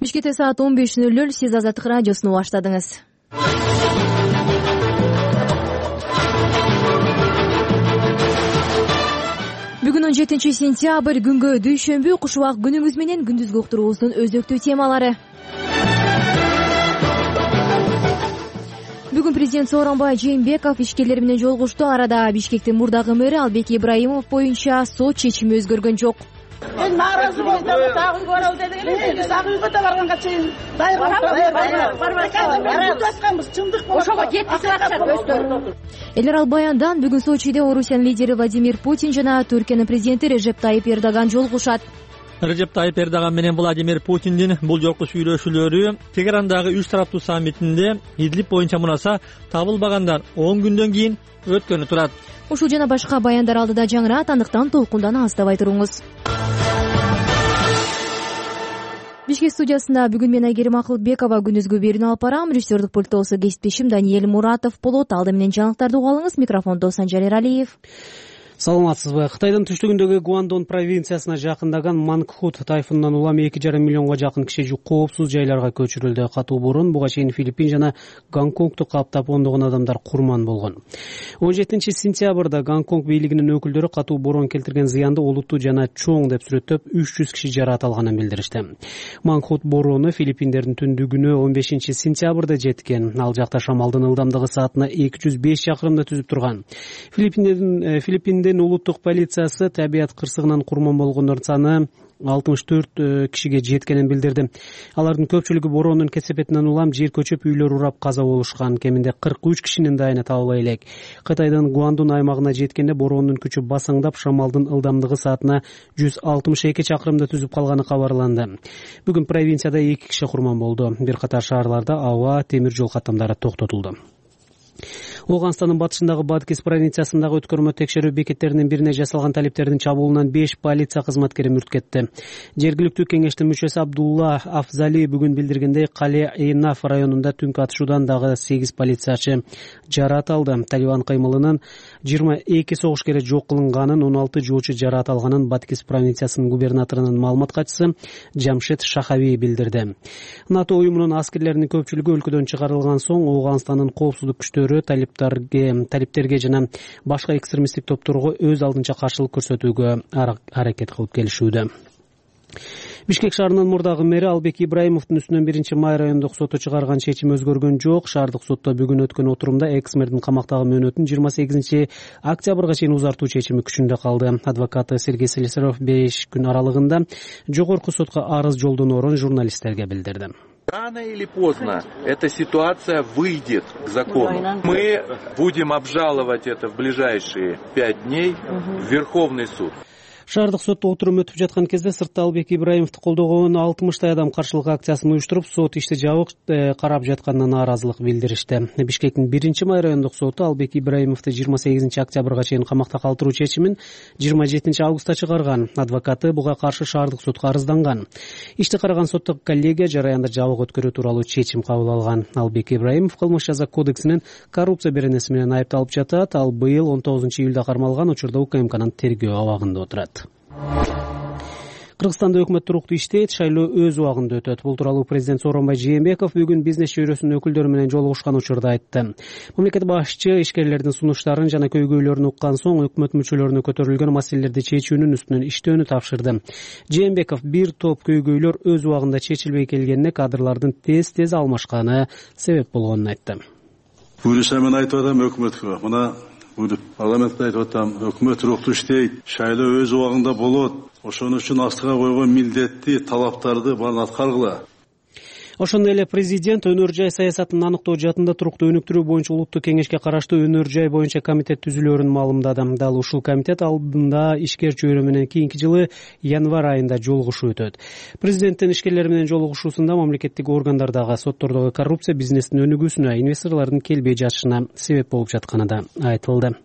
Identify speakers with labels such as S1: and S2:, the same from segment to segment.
S1: Бишкекте саат 15:00. Сиз Азаттык радиосуну баштадыңыз. Бүгүн 17 сентябрь күнгө дүйшөмбү. Куш убак күнүңүз менен күндүзгү уктуруубуздун өзөктүү темалары. Бүгүн президент Сооронбай Жээнбеков ишкерлер менен жолугушту. Арада Бишкектин мурдагы мэри Албек Ибраимов боюнча сот чечими өзгөргөн жок.
S2: Мен нааразы болдум, дагы үйгө баралы дедик эле. Дагы үйгө да барганга чейин барбайбыз. Чындык болот. Ошого жеткизип атышат өздөрү.
S1: Эл баяндан бүгүн Сочиде Орусиянын лидери Владимир Путин жана Түркиянын президенти Режеп Тайип Эрдоган жолугушат.
S3: Режеп Тайип Эрдоган менен Владимир Путиндин бул жолку сүйлөшүүлөрү Тегерандагы 3 тараптуу саммитинде Идлиб боюнча мураса табылбагандар 10 күндөн кийин өткөнү турат.
S1: Ушул жана башка баяндар алдыда жаңырат, андыктан толкундан алыстабай туруңуз. Бишкек студиясында бүгүн мен Айгерим Акылбекова күндүзгү берүүнү алып барам. Режиссердик пульттогусу кесиптешим Даниэль Муратов болот. Алды менен жаңылыктарды уга алыңыз. Микрофондо Санжар Эралиев.
S4: Саламатсызбы? Кытайдын түштүгүндөгү Гуандон провинциясына жакындаган Мангхут тайфунунан улам 2,5 миллионго жакын киши коопсуз жайларга көчүрүлдү. Катуу борон буга чейин Филиппин жана Гонконгду каптап ондогон адамдар курман болгон. 17 сентябрда Гонконг бийлигинин өкүлдөрү катуу борон келтирген зыянды олуттуу жана чоң деп сүрөттөп 300 киши жараат алганын билдиришти. Мангхут бороону Филиппиндердин түндүгүнө 15 сентябрда жеткен. Ал жакта шамалдын ылдамдыгы саатына 205 чакырымды түзүп турган. Филиппиндин улуттук полициясы табият кырсыгынан курман болгондордун саны 64 кишиге жеткенин билдирди. Алардын көпчүлүгү бороонун кесепетинен улам жер көчүп үйлөр урап каза болушкан. Кеминде 43 кишинин дайыны табыла элек. Кытайдын Гуандун аймагына жеткенде бороонун күчү басаңдап, шамалдын ылдамдыгы саатына 162 чакырымды түзүп калганы кабарланды. Бүгүн провинцияда 2 киши курман болду. Бир катар шаарларда аба, темир жол каттамдары токтотулду. Оганстандын батышындагы Бадкис провинциясындагы өткөрмө текшерүү бекеттеринин бирине жасалган талиптердин чабуулунан 5 полиция кызматкери мүрт кетти. Жергиликтүү кеңештин мүчөсү Абдулла Афзали бүгүн билдиргендей, Кале-Эйнаф районунда түнкү атышуудан дагы 8 полициячы жараат алды. Талибан кыймылынын 22 согушкери жок кылынганын, 16 жоочу жараат алганын Бадкис провинциясынын губернаторунун маалымат катчысы Жамшед Шахави билдирди. НАТО уюмунун аскерлеринин көпчүлүгү өлкөдөн чыгарылган соң Оганстандын коопсуздук күчтөрү талиптерге жана башка экстремисттик топторго өз алдынча каршылык көрсөтүүгө аракет кылып келишүүдө. Бишкек шаарынын мурдагы мэри Албек Ибраимовдун үстүнөн 1-май райондук соту чыгарган чечим өзгөргөн жок. Шаардык сотто бүгүн өткөн отурумда экс-мэрдин камактагы мөөнөтүн 28 октябрга чейин узартуу чечими күчүндө калды. Адвокаты Сергей Слесарев 5 күн аралыгында жогорку сотко арыз жолдоноорун журналисттерге билдирди.
S5: Рано или поздно эта ситуация выйдет к закону. Мы будем обжаловать это в ближайшие 5 дней в Верховный суд.
S4: Шаардык сотто отурум өтүп жаткан кезде сыртта Албек Ибраимовду колдогон 60 адам каршылык акциясын уюштуруп, сот ишти жабык карап жатканына нааразылык билдиришти. Бишкектин 1-май райондук соту Албек Ибраимовду 28 октябрга чейин камакта калтыруу чечимин 27 августта чыгарган. Адвокаты буга каршы шаардык сотко арызданган. Ишти караган соттук коллегия жараянды жабык өткөрүү тууралуу чечим кабыл алган. Албек Ибраимов кылмыш жаза кодексинин коррупция беренеси менен айыпталып жатат. Ал быйыл 19 июлда кармалган учурда УКМКнын тергөө абагында отурат. Кыргызстанда өкмөт туруктуу иштейт, шайлоо өз убагында өтөт. Бул тууралуу президент Сооронбай Жээнбеков бүгүн бизнес чөйрөсүнүн өкүлдөрү менен жолугушкан учурда айтты. Мамлекет башчы ишкерлердин сунуштарын жана көйгөйлөрүн уккан соң өкмөт мүчөлөрүнө көтөрүлгөн маселелерди чечүүнүн үстүнөн иштөөнү тапшырды. Жээнбеков бир топ көйгөйлөр өз убагында чечилбей келгенине кадрлардын тез алмашканы себеп болгонун айтты.
S6: Буюрса мен айтып атам өкмөткө, мына парламентте айтып атам, өкмөт туруктуу иштейт, шайлоо өз убагында болот. Ошон үчүн астыга койгон милдетти, талаптарды баарын аткаргыла.
S4: Ошондой эле президент өнөр жай саясатын аныктоо жаатында туруктуу өнүктүрүү боюнча улуттук кеңешке караштуу өнөр жай боюнча комитет түзүлөөрүн маалымдады. Дал ушул комитет алдында ишкер чөйрө менен кийинки жылы январь айында жолугушуу өтөт. Президенттин ишкерлер менен жолугушуусунда мамлекеттик органдардагы, соттордогу коррупция бизнестин өнүгүүсүнө, инвесторлордун келбей жатышына себеп болуп жатканы да айтылды.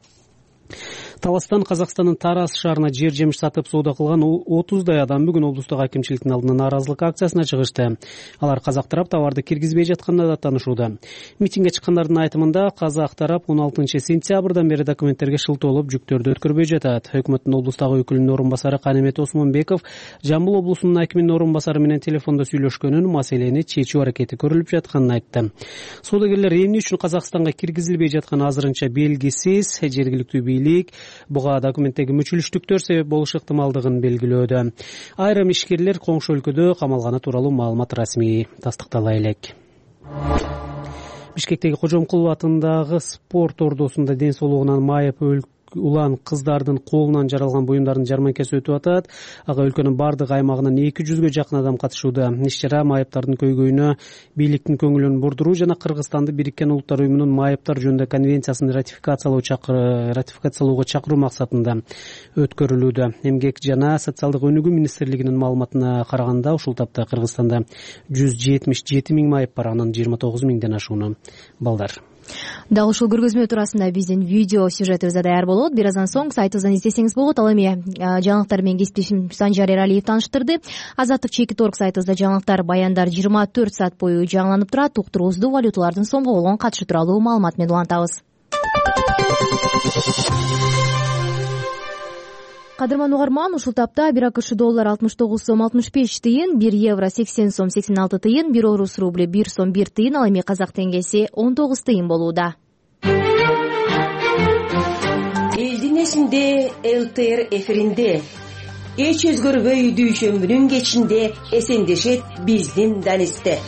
S4: Таластан Казакстандын Тарас шаарына жер жемиш сатып соода кылган 30дай адам бүгүн облустук акимчиликтин алдына нааразылык акциясына чыгышты. Алар казак тарап товарды киргизбей жатканына да таанышууда. Митингге чыккандардын айтымында казак тарап 16-сентябрдан бери документтерге шылтоолоп жүктөрдү өткөрбөй жатат. Өкмөттүн облустагы өкүлүнүн орун басары Канемет Осмонбеков Жамбыл облусунун акиминин орун басары менен телефондо сүйлөшкөнүн, маселени чечүү аракети көрүлүп жатканын айтты. Соодагерлер эмне үчүн Казакстанга киргизилбей жатканы азырынча белгисиз. Жергиликтүү бийлик буга документтеги мүчүлүштүктөр себеп болушу ыктымалдыгын белгилөөдө. Айрым ишкерлер коңшу өлкөдө камалганы тууралуу маалымат расмий тастыктала элек. Бишкектеги Кожомкулов атындагы спорт ордосунда ден соолугунан майып улан кыздардын колунан жаралган буюмдардын жарманкасы өтүп атат. Ага өлкөнүн бардык аймагынан 200ге жакын адам катышууда. Иш-чара майыптардын көйгөйүнө бийликтин көңүлүн бурдуруу жана Кыргызстанды Бириккен Улуттар уюмунун майыптар жөнүндө конвенциясын ратификациялоого чакыруу максатында өткөрүлүүдө. Эмгек жана социалдык өнүгүү министрлигинин маалыматына караганда ушул тапта Кыргызстанда 177 миң майып бар, анын 29 миңден ашууну балдар.
S1: Дал ушул көргөзмө туурасында биздин видео сюжетибиз даяр болот. Бир аздан соң сайтыбыздан издесеңиз болот. Ал эми жаңылыктар менен кесиптешим Санжар Эралиев тааныштырды. Азаттык /.org сайтыбызда жаңылыктар, баяндар 24 саат бою жаңыланып турат. Уктуруубузду валюталардын сомго болгон катышы тууралуу маалымат менен улантабыз. Кадырман угарман, ушул тапта 1 АКШ доллар 69 сом 65 тыйын, 1 евро 80 сом 86 тыйын, 1 орус рубли 1 сом 1 тыйын, ал эми казак теңгеси 19 тыйын болууда.
S7: Элдин эсинде ЛТР эфиринде эч өзгөрбөй дүйшөмбүнүн кечинде эсендешет биздин Данисте.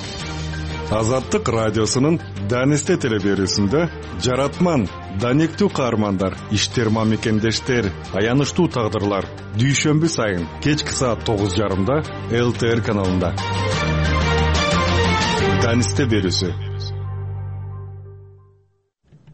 S8: Азаттык радиосунун Данисте телеберүүсүндө жаратман, даниктүү каармандар, иштер мамекендештер, аянычтуу тагдырлар дүйшөмбү сайын кечки саат 9:30 ЛТР каналында. Данисте берүүсү.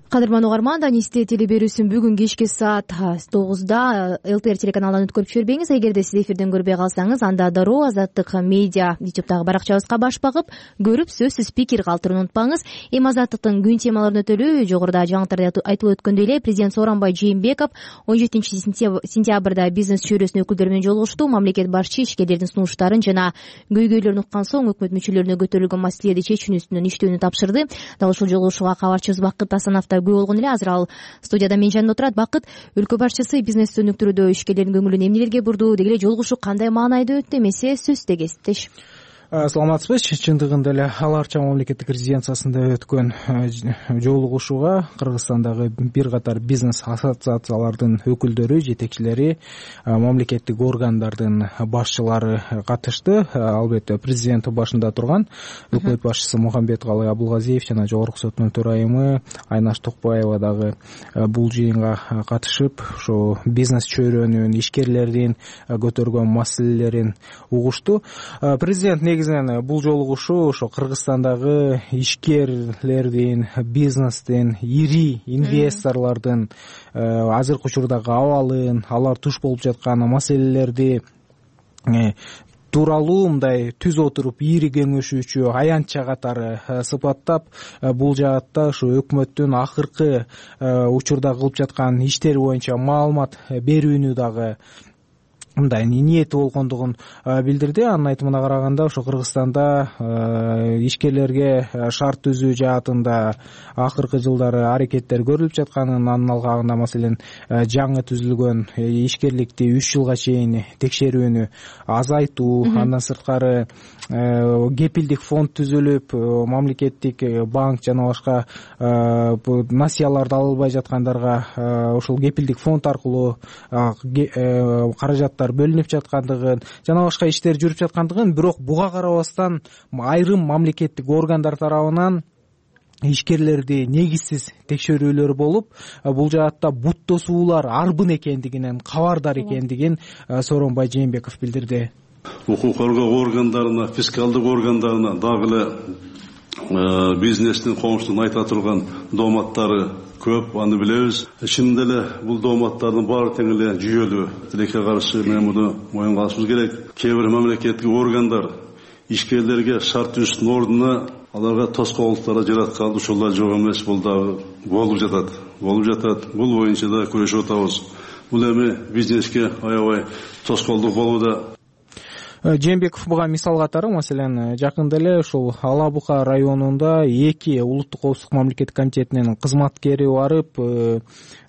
S1: Кадырман угарман, Данисте телеберүүсүн бүгүн кечки саат 9:00 ЛТР телеканалынан өткөрүп жибербеңиз. Эгерде сиз эфирден көрбөй калсаңыз, анда дароо Азаттык медиа YouTube'дагы баракчабызга баш багып, көрүп сөзсүз пикир калтырууну унутпаңыз. Эми Азаттыктын күн темаларын өтөлүү. Жогоруда жаңылыктарда айтылып өткөндөй эле президент Сооронбай Жээнбеков 17-сентябрда бизнес чөйрөсүнүн өкүлдөрү менен жолугушту. Мамлекет башчы ишкерлердин сунуштарын жана көйгөйлөрүн уккан соң өкмөт мүчөлөрүнө көтөрүлгөн маселелерди чечүүнүн үстүнөн иштөөнү тапшырды. Дал ушул жолугушууга кабарчыбыз Бакыт Асанов күбө болгон эле. Азыр ал студияда менин жанымда отурат. Бакыт, өлкө башчысы бизнести өнүктүрүүдө ишкерлердин көңүлүн эмнелерге бурду, деги эле жолугушуу кандай маанайда өттү, эмесе сөздө кесиптеш.
S9: Саламатсызбы. Чындыгында эле аларча мамлекеттик резиденциясында өткөн жолугушууга Кыргызстандагы бир катар бизнес ассоциациялардын өкүлдөрү, жетекчилери, мамлекеттик органдардын башчылары катышты. Албетте президент башында турган өкмөт башчысы Мухамбеткалый Абулгазиев жана Жогорку соттун төрайымы Айнаш Токпаева дагы бул жыйынга катышып, ошо бизнес чөйрөнүн, ишкерлердин көтөргөн маселелерин угушту. Президент бул жолугушуу ошо Кыргызстандагы ишкерлердин, бизнестин, ири инвесторлордун азыркы учурдагы абалын, алар туш болуп жаткан маселелерди тууралуу мындай түз отуруп ири кеңешүүчү аянтча катары сыпаттап, бул жаатта ушу өкмөттүн акыркы учурда кылып жаткан иштери боюнча маалымат берүүнү дагы мындай ниети болгондугун билдирди. Анын айтымына караганда ошо Кыргызстанда ишкерлерге шарт түзүү жаатында акыркы жылдары аракеттер көрүлүп жатканын, анын алкагында маселен жаңы түзүлгөн ишкерликти 3 жылга чейин текшерүүнү азайтуу, андан сырткары кепилдик фонд түзүлүп, мамлекеттик банк жана башка насыяларды ала албай жаткандарга ошол кепилдик фонд аркылуу каражаттар бөлүнүп жаткандыгын жана башка иштер жүрүп жаткандыгын, бирок буга карабастан айрым мамлекеттик органдар тарабынан ишкерлерди негизсиз текшерүүлөр болуп, бул жаатта бут тосуулар арбын экендигинен кабардар экендигин Сооронбай Жээнбеков билдирди.
S6: Укук коргоо органдарына, фискалдык органдарына дагы эле бизнестин коңшунун айта турган дооматтары көп, аны билебиз. Чынында эле бул дооматтардын баары тең эле жүйөлүү. Тилекке каршы мен муну моюнга алышыбыз керек. Кээ бир мамлекеттик органдар ишкерлерге шарт түзүүнүн ордуна аларга тоскоолдуктар жараткан, ошолор жок эмес, бул дагы болуп жатат. Бул боюнча да күрөшүп атабыз. бул эми бизнеске аябай тоскоолдук болууда.
S9: Жээнбеков буга мисал катары, маселен, жакында эле ушул Ала Бука районунда 2 улуттук коопсуздук мамлекеттик комитетинин кызматкери барып,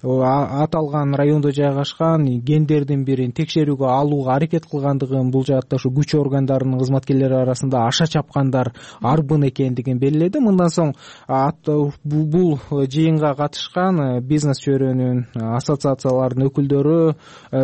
S9: аталган райондо жайгашкан кендердин бирин текшерүүгө алууга аракет кылгандыгын, бул жаатта ушу күч органдарынын кызматкерлери арасында аша чапкандар арбын экендигин белгиледи. Мындан соң бул жыйынга катышкан бизнес чөйрөнүн ассоциацияларынын өкүлдөрү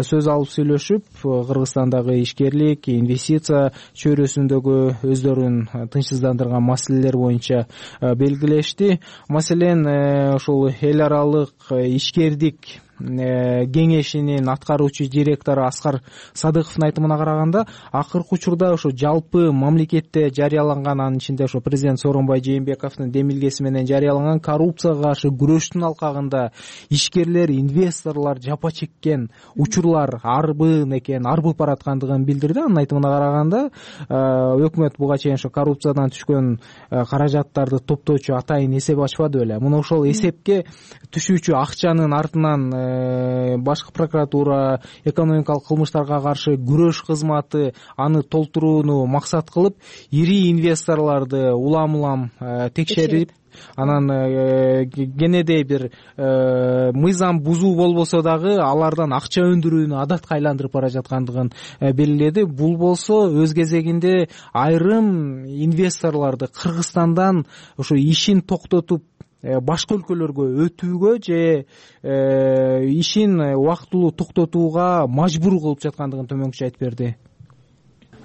S9: сөз алып сүйлөшүп, Кыргызстандагы ишкерлик, инвестиция чөйрөсүндөгү өздөрүн тынчсыздандырган маселелер боюнча белгилешти. Маселен, ушул эл аралык ишкердик кеңешинин аткаруучу директору Аскар Садыковдун айтымына караганда, акыркы учурда ошо жалпы мамлекетте жарыяланган, анын ичинде ошо президент Сооронбай Жээнбековдун демилгеси менен жарыяланган коррупцияга каршы күрөштүн алкагында ишкерлер, инвесторлор жапа чеккен учурлар арбын экен, арбып бараткандыгын билдирди. Анын айтымына караганда, өкмөт буга чейин ошо коррупциядан түшкөн каражаттарды топтоочу атайын эсеп ачпады беле. Муну ошол эсепке түшүүчү акчанын артынан башкы прокуратура, экономикалык кылмыштарга каршы күрөш кызматы аны толтурууну максат кылып, ири инвесторлорду улам текшерип, анан кенедей бир мыйзам бузуу болбосо дагы алардан акча өндүрүүнү адатка айландырып бара жаткандыгын белгиледи. Бул болсо өз кезегинде айрым инвесторлорду Кыргызстандан ошо ишин токтотуп башка өлкөлөргө өтүүгө же ишин убактылуу токтотууга мажбур кылып жаткандыгын төмөнкүчө айтып берди.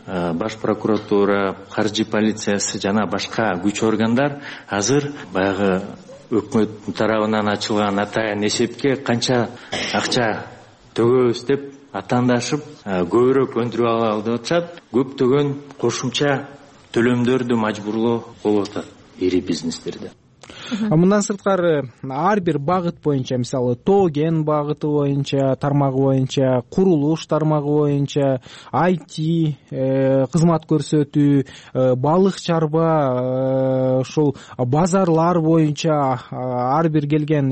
S10: Баш прокуратура, каржы полициясы жана башка күч органдар азыр баягы өкмөт тарабынан ачылган атайын эсепке канча акча төгөбүз деп атаандашып, көбүрөөк өндүрүп алалы деп атышат. Көптөгөн кошумча төлөмдөрдү мажбурлоо болуп атат ири бизнестерде.
S9: Мындан сырткары ар бир багыт боюнча, мисалы Тоген багыты боюнча, тармагы боюнча, курулуш тармагы боюнча, IT кызмат көрсөтүү, балык чарба, ушул базарлар боюнча ар бир келген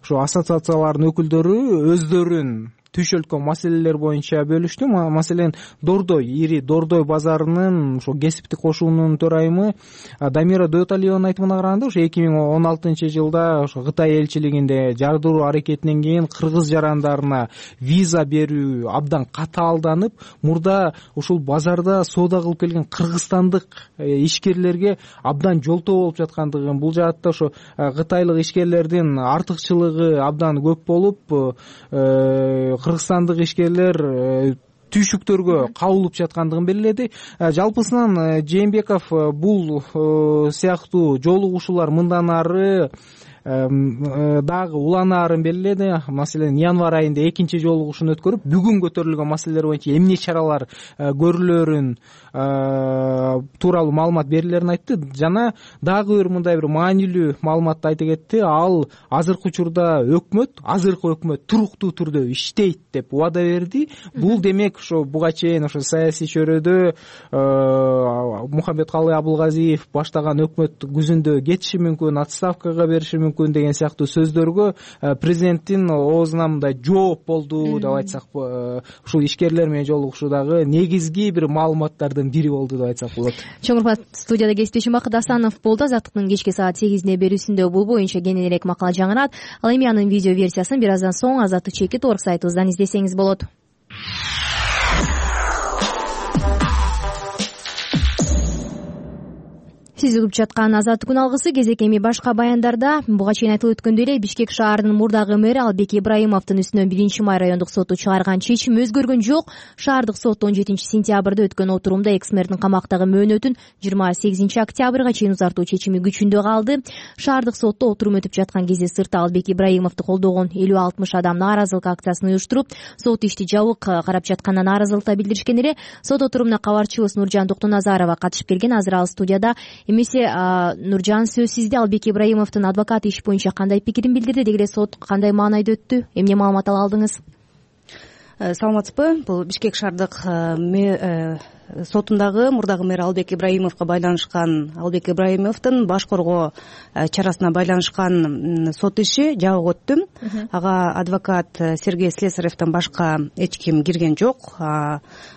S9: ушу ассоциациялардын өкүлдөрү өздөрүн түш өлкө маселелер боюнча бөлүштү. Маселен, Дордой, ири Дордой базарынын ошо кесиптик кошуунун төрайымы Дамира Дөталиеванын айтымына караганда, ошо 2016-жылда ошо Кытай элчилигинде жардыруу аракетинен кийин кыргыз жарандарына виза берүү абдан катаалданып, мурда ушул базарда соода кылып келген кыргызстандык ишкерлерге абдан жолтоо болуп жаткандыгын, бул жаатта ошо кытайлык ишкерлердин артыкчылыгы абдан көп болуп, кыргызстандык ишкерлер түйшүктөргө кабылып жаткандыгын белгиледи. Жалпысынан Жээнбеков бул сыяктуу жолугушуулар мындан ары дагы уланаарын белгиледи. Маселен, январь айында 2-чи жолугушууну өткөрүп, бүгүн көтөрүлгөн маселелер боюнча эмне чаралар көрүлөрүн тууралуу маалымат берилерин айтты. Жана дагы бир мындай бир маанилүү маалыматты айта кетти. Ал азыркы учурда азыркы өкмөт туруктуу түрдө иштейт деп убада берди. Бул демек ошо буга чейин ошо саясий чөйрөдө Мухаммедкалый Абылгазиев баштаган өкмөт күзүндө кетиши мүмкүн, отставкага бериши мүмкүн деген сыяктуу сөздөргө президенттин оозунан мындай жооп болду деп айтсак, ушул ишкерлер менен жолугушуудагы негизги бир маалыматтардын бири болду деп айтсак болот.
S1: Чоң урмат, студияда кесиптешим Бакыт Асанов болду. Азаттыктын кечки саат 8-inde берүүсүндө бул боюнча кенен элек макала жаңырат. Ал эми анын видео версиясын бир аздан соң Азаттык чекит орг сайтыбыздан издесеңиз болот. Сиз угуп жаткан Азаттык күн алгысы кезек эми башка баяндарда. Буга чейин айтылып өткөндөй эле Бишкек шаарынын мурдагы мэри Албек Ибраимовдун үстүнөн 1-май райондук соту чыгарган чечим өзгөргөн жок. Шаардык сот 17-сентябрда өткөн отурумда экс-мэрдин камактагы мөөнөтүн 28 октябрга чейин узартуу чечими күчүндө калды. Шаардык сотто отурум өтүп жаткан кезде сыртта Албек Ибраимовду колдогон 50-60 адам нааразылык акциясын уюштуруп, сот ишти жабык карап жатканына нааразылыкта билдиришкен эле. Сот отурумуна кабарчыбыз Нуржан Токтоназарова катышып келген. Азыр ал студияда. Эмесе Нуржан, сөз сизде. Албек Ибраимовдун адвокаты иш боюнча кандай пикирин билдирди, деги сот кандай маанайда өттү, эмне маалымат ала алдыңыз?
S11: Саламатсызбы? Бул Бишкек шаардык сотундагы мурдагы мэр Албек Ибраимовго байланышкан, Албек Ибраимовдун баш коргоо чарасына байланышкан сот иши жабык өттү. Ага адвокат Сергей Слесаревден башка эч ким кирген жок.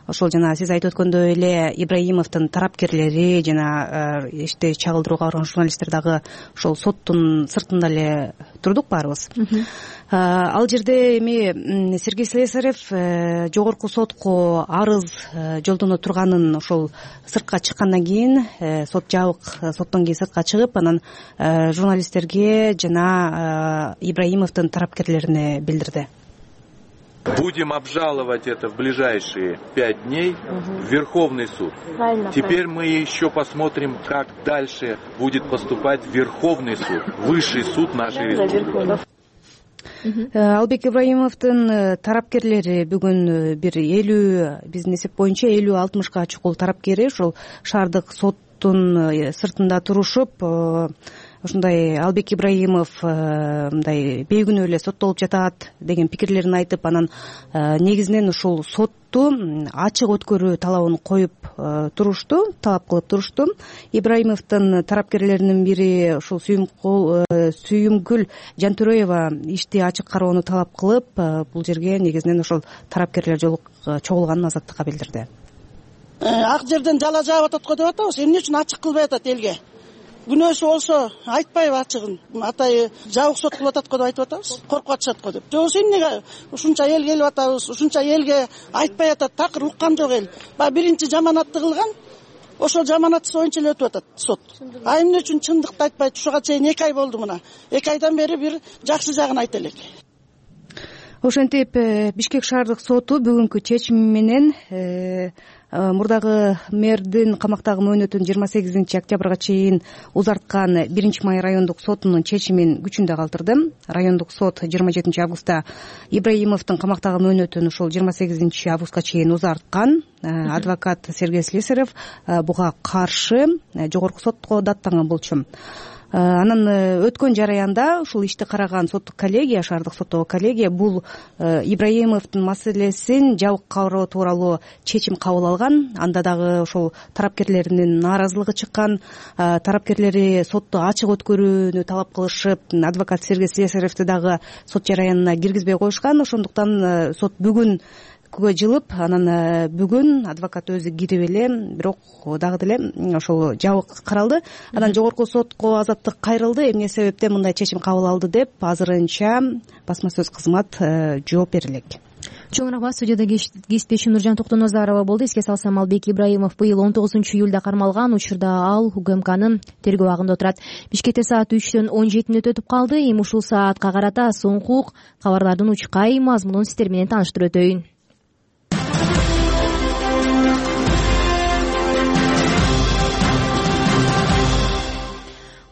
S11: Ошол жана сиз айтып өткөндөй эле Ибраимовдун тарапкерлери жана ишти чагылдырууга барган журналисттер дагы ошол соттун сыртында эле турдук баарыбыз. Ал жерде эми Сергей Слесарев жогорку сотко арыз жолдоно турганын ошол сыртка чыккандан кийин сот жабык, соттон кийин сыртка чыгып, анан журналисттерге жана Ибраимовдун тарапкерлерине билдирди.
S5: Будем обжаловать это в ближайшие 5 дней в Верховный суд. Теперь мы еще посмотрим, как дальше будет поступать Верховный суд, высший суд нашей республики.
S11: Албек Ибраимовдун тарапкерлери бүгүн бир 50, биздин эсеп боюнча 50-60га чукул тарапкери ошол шаардык соттун сыртында турушуп, ушундай Албек Ибраимов мындай бейкүнөө эле соттолуп жатат деген пикирлерин айтып, анан негизинен ушул сотту ачык өткөрүү талабын коюп турушту, талап кылып турушту. Ибраимовдун тарапкерлеринин бири ушул Сүйүмкүл Жантөрөева ишти ачык кароону талап кылып, бул жерге негизинен ошол тарапкерлер чогулганын азаттыкка билдирди.
S2: Ак жерден жала жаап атат го деп атабыз. Эмне үчүн ачык кылбай атат элге? Күнөөсү болсо айтпайбы ачыгын? Атайы жабык сот кылып атат го деп айтып атабыз. Коркуп атышат го деп. Жоксу эмнеге ушунча эл келип атабыз, ушунча элге айтпай атат, такыр уккан жок эл. Баягы биринчи жаманатты кылган, ошол жаманатсыз боюнча эле өтүп атат сот. Эмне үчүн чындыкты айтпайт? Ушуга чейин 2 ай болду мына. 2 айдан бери бир жакшы жагын айта элек.
S11: Ошентип Бишкек шаардык соту бүгүнкү чечими менен мурдагы мэрдин камактагы мөөнөтүн 28 октябрга чейин узарткан 1 май райондук сотунун чечимин күчүндө калтырды. Райондук сот 27 августта Ибраимовдун камактагы мөөнөтүн ушул 28 августка чейин узарткан. Адвокат Сергей Слесарев буга каршы жогорку сотко даттанган болчу. Анан өткөн жараянда ушул ишти караган соттук коллегия, шаардык соттогу коллегия бул Ибраимовдун маселесин жабык кароо тууралуу чечим кабыл алган. Анда дагы ошол тарапкерлеринин нааразылыгы чыккан, тарапкерлери сотту ачык өткөрүүнү талап кылышып, адвокат Сергей Слесаревди дагы сот жараянына киргизбей коюшкан. Ошондуктан сот бүгүн жылып, анан бүгүн адвокат өзү кирип эле, бирок дагы деле ошол жабык каралды. Анан жогорку сотко азаттык кайрылды. Эмне себептен мындай чечим кабыл алды деп азырынча басма сөз кызмат жооп бере элек.
S1: Чоң рахмат. Студияда кесиптешим Нуржан Токтонозарова болду. Эске салсам, Албек Ибраимов быйыл 19-июлда кармалган. Учурда ал УКМКнын тергөө абагында отурат. Бишкекте саат 3-төн 17 өтүп калды. Эми ушул саатка карата соңку кабарлардын учкай мазмунун сиздер менен тааныштырып өтөйүн.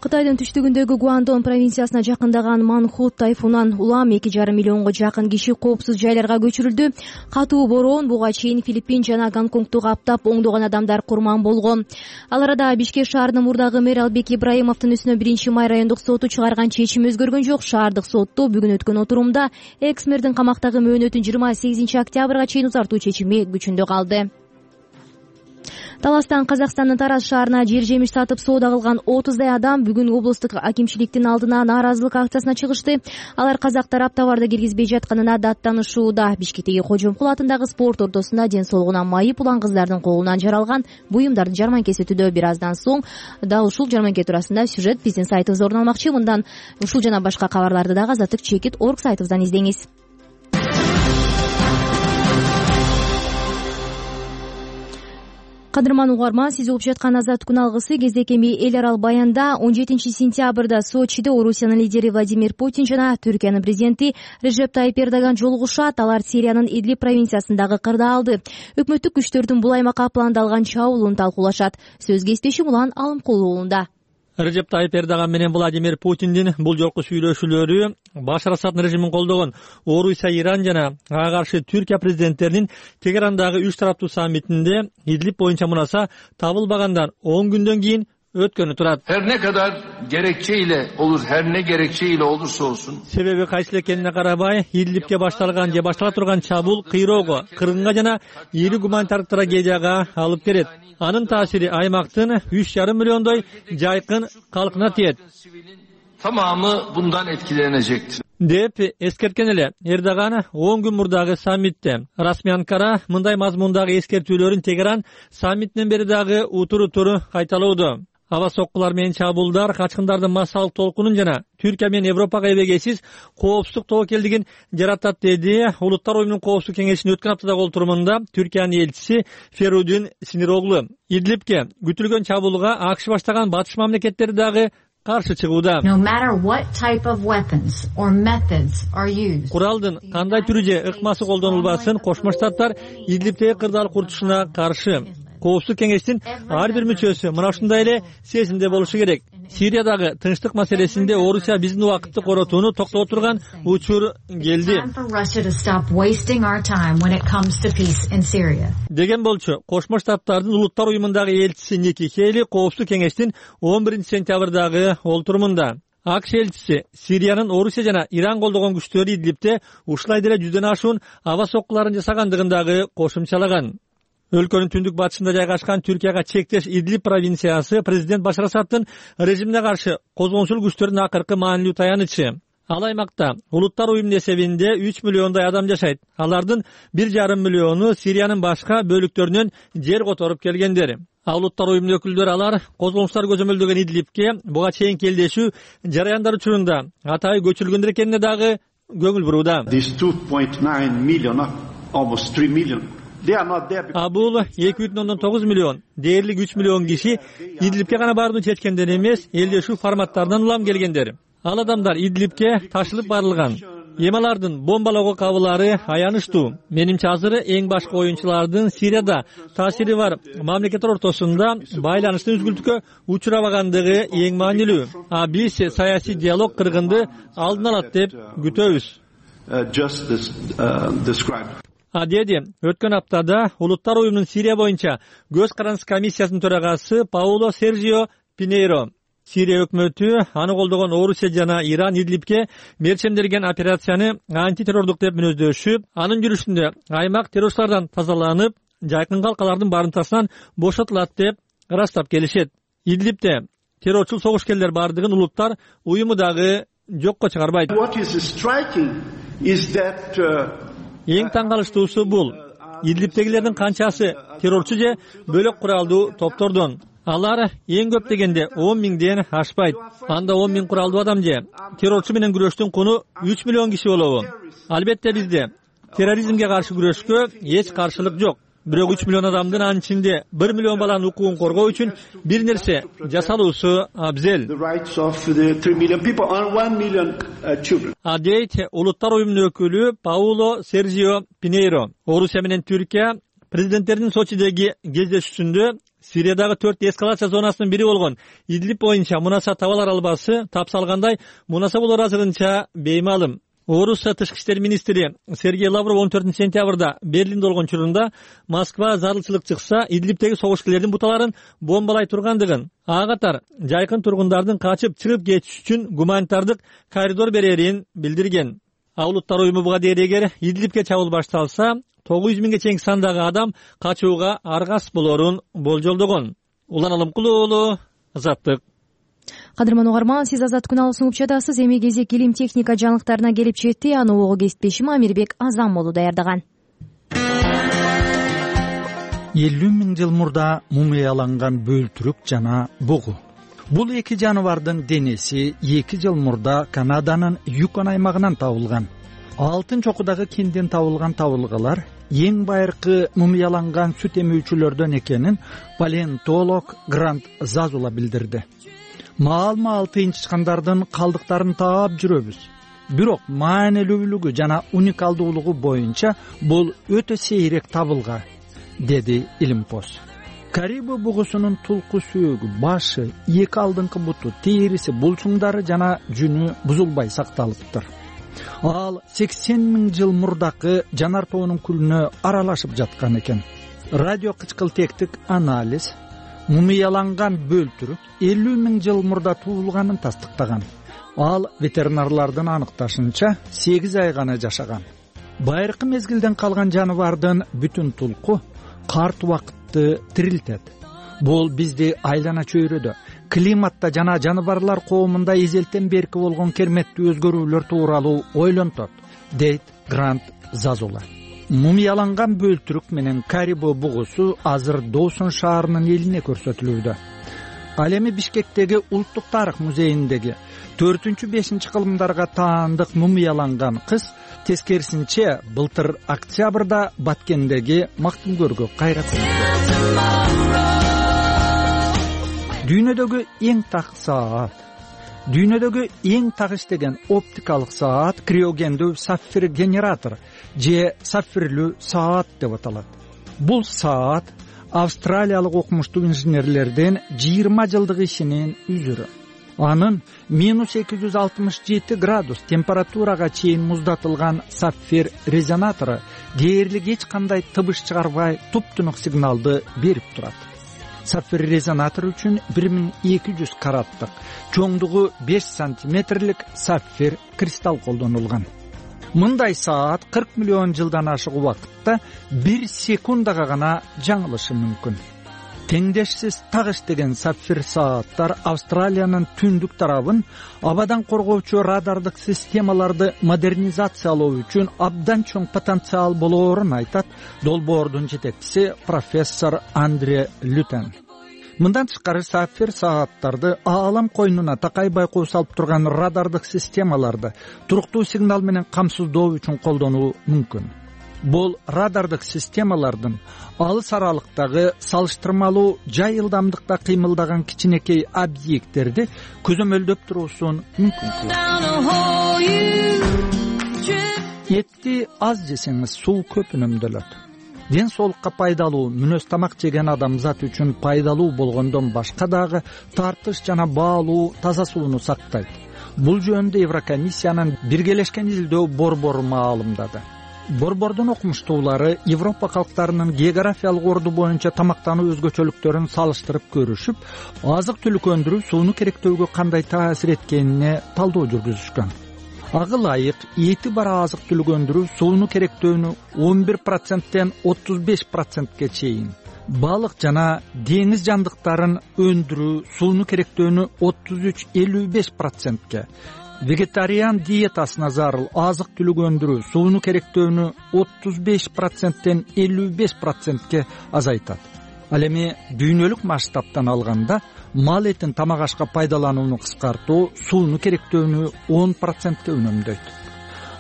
S1: Кытайдын түштүгүндөгү Гуандон провинциясына жакындаган Манхут тайфунунан улам 2,5 миллионго жакын киши коопсуз жайларга көчүрүлдү. Катуу бороон буга чейин Филиппин жана Гонконгду каптап, оңдогон адамдар курман болгон. Ал арада Бишкек шаарынын мурдагы мэр Албек Ибраимовдун үстүнө 1 май райондук соту чыгарган чечим өзгөргөн жок. Шаардык сотто бүгүн өткөн отурумда экс-мэрдин камактагы мөөнөтүн 28 октябрга чейин узартуу чечими күчүндө калды. Таластан Казакстандын Тараз шаарына жер жемиш сатып соода кылган 30дай адам бүгүн облустук акимчиликтин алдына нааразылык акциясына чыгышты. Алар казак тарап товарды киргизбей жатканына даттанышууда. Бишкектеги Кожомкул атындагы спорт ортосунда ден соолугуна майып улан кыздардын колунан жаралган буюмдардын жарманкеси өтүүдө. Бир аздан соң дал ушул жарманке туурасында сюжет биздин сайтыбызда орун алмакчы. Мындан ушул жана башка кабарларды дагы azattik.org сайтыбыздан издеңиз. Кадырман угарман, сиз угуп жаткан Азаттык күн алгысы кездекеми эл арал баянда 17 сентябрда Сочиде Орусиянын лидери Владимир Путин жана Түркиянын президенти Режеп Тайип Эрдоган жолугушат. Алар Сириянын Идлиб провинциясындагы кырдаалды, өкмөттүк күчтөрдүн бул аймакка пландалган чабуулун талкуулашат. Сөз кесиптешим Улан Алымкулов уулунда.
S3: Режеп Тайип Эрдоган менен Владимир Путиндин бул жолку сүйлөшүүлөрү Башар Асад режимин колдогон Орусия, Иран жана ага каршы Түркия президенттеринин Тегерандагы 3 тараптуу саммитинде Идлиб боюнча мунаса табылбагандар 10 күндөн кийин өткөнү турат.
S12: Her ne kadar gerekçeyle olur, her ne gerekçeyle olursa olsun.
S3: Себеби кайсыл экенине карабай, Идлибке башталган же баштала турган чабуул кыйроого, кыргынга жана ири гуманитардык трагедияга алып келет. Анын таасири аймактын 3,5 миллиондой жайкын калкына тиет.
S12: Tamamı bundan etkilenecektir.
S3: деп эскерткен эле Эрдоган 10 күн мурдагы саммитте. Расмий Анкара мындай мазмундагы эскертүүлөрүн Тегеран саммитинен бери дагы утур кайталоодо. Аба соккулар менен чабуулдар качкындардын массалык толкунун жана Түркия менен Европага эбегейсиз коопсуздук тобокелдигин жаратат, деди Улуттар уюмунун коопсуздук кеңешинин өткөн аптадагы олтурумунда Түркиянын элчиси Ферудин Синироглу. Идлибке күтүлгөн чабуулга АКШ баштаган батыш мамлекеттери дагы каршы чыгууда. Куралдын кандай түрү же ыкмасы колдонулбасын Кошмо Штаттар Идлибтеги кырдаал курчушуна каршы. Коопсуздук кеңештин ар бир мүчөсү мына ушундай эле сезимде болушу керек. Сириядагы тынчтык маселесинде Орусия биздин убакытты коротууну токтото турган учур келди деген болчу. Кошмо Штаттардын Улуттар уюмундагы элчиси Ники Хейли коопсуздук кеңештин 11-сентябрдагы олтурумунда АКШ элчиси Сириянын Орусия жана Иран колдогон күчтөрү Идлибте ушулай деле 100дөн ашуун аба соккуларын жасагандыгын дагы кошумчалаган. Өлкөнүн түндүк батышында жайгашкан Түркияга чектеш Идлиб провинциясы президент Башар Асадтын режимине каршы козгончул күчтөрдүн акыркы маанилүү таянычы. Ал аймакта Улуттар уюмунун эсебинде 3 миллиондой адам жашайт. Алардын 1,5 миллиону Сириянын башка бөлүктөрүнөн жер которуп келгендер. Улуттар уюмунун өкүлдөрү алар козгончулар көзөмөлдөгөн Идлибке буга чейин келдешүү жараяндар учурунда атайы көчүрүлгөндөр экенине дагы көңүл бурууда. Бул 2,9 миллион, дээрлик 3 миллион киши Идлибке гана баарууну чечкендер эмес, элдешүү форматтарынан улам келгендер. Ал адамдар Идлибке ташылып барылган. Эми алардын бомбалоого кабылары аянычтуу. Менимче азыр эң башкы оюнчулардын Сирияда таасири бар мамлекеттер ортосунда байланыштын үзгүлтүккө учурабагандыгы эң маанилүү. Биз саясий диалог кыргынды алдын алат деп күтөбүз. Деди өткөн аптада Улуттар уюмунун Сирия боюнча көз карандысы комиссиясынын төрагасы Пауло Сержио Пинейро. Сирия өкмөтү аны колдогон Орусия жана Иран Идлибке мерчемделген операцияны антитеррордук деп мүнөздөшүп, анын жүрүшүндө аймак террорчулардан тазаланып, жайкын калкалардын барымтасынан бошотулат деп ырастап келишет. Идлибте террорчул согушкерлер бардыгын улуттар уюму дагы жокко чыгарбайт. Эң таң калыштуусу бул. Идлибтегилердин канчасы террорчу же бөлөк куралдуу топтордон. Алар эң көп дегенде 10 миңден ашпайт. Анда 10 миң куралдуу адам же террорчу менен күрөштүн куну 3 миллион киши болобу. Албетте бизде терроризмге каршы күрөшкө эч каршылык жок. Бирок 3 миллион адамдын анын ичинде 1 миллион баланын укугун коргоо үчүн бир нерсе жасалуусу абзел. Дейт Улуттар уюмунун өкүлү Пауло Сержио Пинейро. Орусия менен Түркия президенттердин Сочидеги кездешүүсүндө Сириядагы 4 эскалация зонасынын бири болгон Идлиб боюнча мунаса табалар албасы тапсалгандай мунаса болор азырынча беймалым. Орусия тышкы иштер министри Сергей Лавров 14-сентябрда Берлинде болгон учурунда Москва зарылчылык чыкса Идлибтеги согушкерлердин буталарын бомбалай тургандыгын, ага катар жайкын тургундардын качып чыгып кетиш үчүн гуманитардык коридор берерин билдирген. Улуттар уюму буга дейт эгер Идлибке чабуул башталса 900 миңге чейин сандагы адам качууга аргас болорун болжолдогон. Улан Алымкулуу уулу, Азаттык.
S1: Кадырман угарман, сиз Азат күналысын угуп эми кезек илим техника жаңылыктарына келип жетти. Аны ого кесиптешим Амирбек Азамолу даярдаган.
S13: 50 миң жыл мурда мумияланган бөлтүрүк жана бугу. Бул эки жаныбардын денеси 2 жыл мурда Канаданын Юкон аймагынан табылган. Алтын чокудагы кенден табылган табылгалар эң байыркы мумияланган сүт эмүүчүлөрдөн экенин палеонтолог Грант Зазула билдирди. Маал-маал тыйынчыккандардын калдыктарын таап жүрөбүз. Бирок маанилүүлүгү жана уникалдуулугу боюнча бул өтө сейрек табылга, деди Илимпоз. Карибу бугусунун тулку сөөгү, башы, эки алдыңкы буту, териси, булчуңдары жана жүнү бузулбай сакталыптыр. Ал 80 миң жыл мурдакы жанар тоонун күлүнө аралашып жаткан экен. Радио кычкылтектик анализ, мумияланган бөлтүрүк 50 000 жыл мурда туулганын тастыктаган. Ал ветеринарлардын аныкташынча 8 ай гана жашаган. Байыркы мезгилден калган жаныбардын бүтүн тулку карт убакытты тирилтет. Бул бизди айлана чөйрөдө, климатта жана жаныбарлар коомунда эзелтен берки болгон керметтүү өзгөрүүлөр тууралуу ойлонтот, дейт Грант Зазула. Мумияланган бөлтүрүк менен карибо бугусу азыр Доусон шаарынын элине көрсөтүлүүдө. Ал эми Бишкектеги Улуттук тарых музейиндеги 4-5 кылымдарга таандык мумияланган кыз тескерисинче былтыр октябрда Баткендеги Мактымгөргө кайрат. Дүйнөдөгү эң так саат, дүйнөдөгү эң так иштеген оптикалык саат криогендүү сапфир генератор же сапфирлүү саат деп аталат. Бул саат австралиялык окумуштуу инженерлердин 20 жылдык ишинин үзүрү. Анын -267 градус температурага чейин муздатылган сапфир резонатору дээрлик эч кандай табыш чыгарбай туп-тунук сигналды берип турат. Сапфир резонатор үчүн 1200 караттык, чоңдугу 5 сантиметрлик сапфир кристалл колдонулган. Мындай саат 40 миллион жылдан ашык убакытта 1 секундага гана жаңылышы мүмкүн. Теңдешсиз так иштеген сапфир сааттар Австралиянын түндүк тарабын абадан коргоочу радардык системаларды модернизациялоо үчүн абдан чоң потенциал болоорун айтат долбоордун жетекчиси профессор Андре Лютен. Мындан тышкары сапфир сааттарды аалам койнуна такай байкоо салып турган радардык системаларды туруктуу сигнал менен камсыздоо үчүн колдонуу мүмкүн. Бул радардык системалардын алыс аралыктагы салыштырмалуу жай ылдамдыкта кыймылдаган кичинекей объекттерди көзөмөлдөп туруусун мүмкүн кылат. Этти аз жесеңиз суу көп үнөмдөлөт. Ден соолукка пайдалуу мүнөз тамак жеген адамзат үчүн пайдалуу болгондон башка дагы тартыш жана баалуу таза сууну сактайт. Бул жөнүндө Еврокомиссиянын биргелешкен изилдөө борбору маалымдады. Борбордун окумуштуулары Европа калктарынын географиялык орду боюнча тамактануу өзгөчөлүктөрүн салыштырып көрүшүп, азык-түлүк өндүрүү сууну керектөөгө кандай таасир эткенине талдоо жүргүзүшкөн. Ага ылайык эти бар азык-түлүк өндүрүү сууну керектөөнү 11%тен 35%ке чейин, балык жана деңиз жандыктарын өндүрүү сууну керектөөнү 33-55%ке, вегетариан диетасына зарыл азык-түлүк өндүрүү сууну керектөөнү 35%тен 55%ке азайтат. Ал эми дүйнөлүк масштабтан алганда мал этин тамак ашка пайдаланууну кыскартуу сууну керектөөнү 10%ке үнөмдөйт.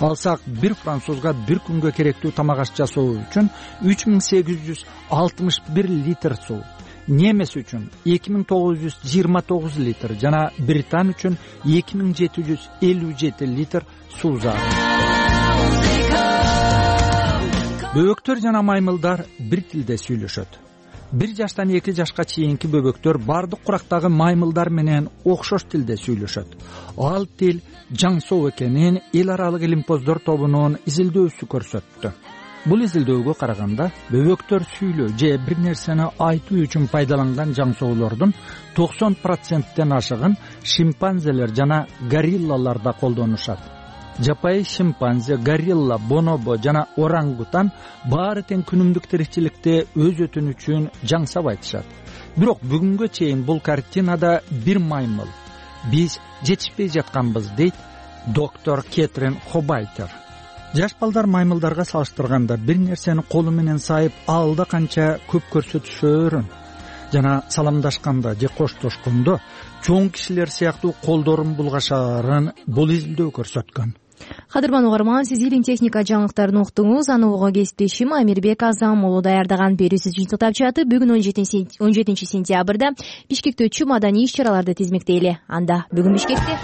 S13: Алсак бир французга бир күнгө керектүү тамак аш жасоо үчүн 3861 литр суу, немес үчүн 2929 литр жана британ үчүн 2757 литр суу зарыл. Бөбөктөр жана маймылдар бир тилде сүйлөшөт. 1 жаштан 2 жашка чейинки бөбөктөр бардык курактагы маймылдар менен окшош тилде сүйлөшөт. Ал тил жаңсоо экенин эл аралык илимпоздор тобунун изилдөөсү көрсөттү. Бул изилдөөгө караганда бөбөктөр сүйлөө же бир нерсени айтуу үчүн пайдаланган жаңсоолордун 90%тен ашыгын шимпанзелер жана гориллаларда колдонушат. Жапайы шимпанзе, горилла, бонобо жана орангутан баары тең күнүмдүк тиричиликте өз өтүнү үчүн жаңсап айтышат. Бирок бүгүнгө чейин бул картинада бир маймыл биз жетишпей жатканбыз, дейт доктор Кетрин Хобайтер. Жаш балдар маймылдарга салыштырганда бир нерсени колу менен сайып алда канча көп көрсөтүшөөрүн жана саламдашканда же коштошкондо чоң кишилер сыяктуу колдорун булгашаарын бул изилдөө көрсөткөн.
S1: Кадырман угарман, сиз илим техника жаңылыктарын уктуңуз. Аны угууга кесиптешим Амирбек Азам уулу даярдаган берүүсү жыйынтыктап жатып, бүгүн 17 сентябрда Бишкекте өтчү маданий иш-чараларды тизмектейли. Анда бүгүн Бишкекте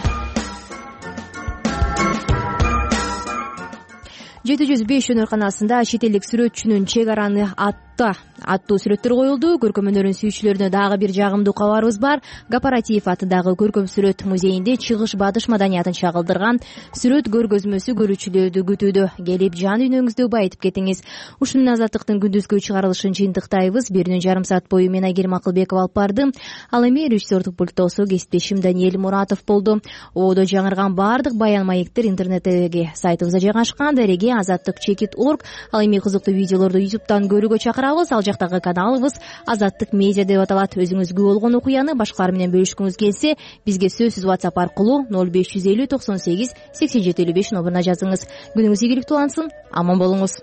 S1: 705 өнөр канасында чет элдик сүрөтчүнүн чек араны азаттыкта аттуу сүрөттөр коюлду. Көркөм өнөрүн сүйүүчүлөрүнө дагы бир жагымдуу кабарыбыз бар. Гапаратиев атындагы көркөм сүрөт музейинде чыгыш батыш маданиятын чагылдырган сүрөт көргөзмөсү көрүүчүлөрдү күтүүдө. Келип жан дүйнөңүздү байытып кетиңиз. Ушул менен азаттыктын күндүзгү чыгарылышын жыйынтыктайбыз. 1,5 саат бою мен Айгерим Акылбекова алып бардым. Ал эми режиссердук пульттосу кесиптешим Даниэль Муратов болду. Ободо жаңырган баардык баян маектер интернеттеги сайтыбызда жайгашкан. Дареге azattik.org. Ал эми кызыктуу видеолорду YouTube'дан көрүүгө чакырабыз. Ал жактагы каналыбыз Азаттык медиа деп аталат. Өзүңүзгө болгон окуяны башкалар менен бөлүшкүңүз келсе, бизге сөзсүз WhatsApp аркылуу 0550 98 87 55 номуруна жазыңыз. Күнүңүз ийгиликтүү улансын. Аман болуңуз.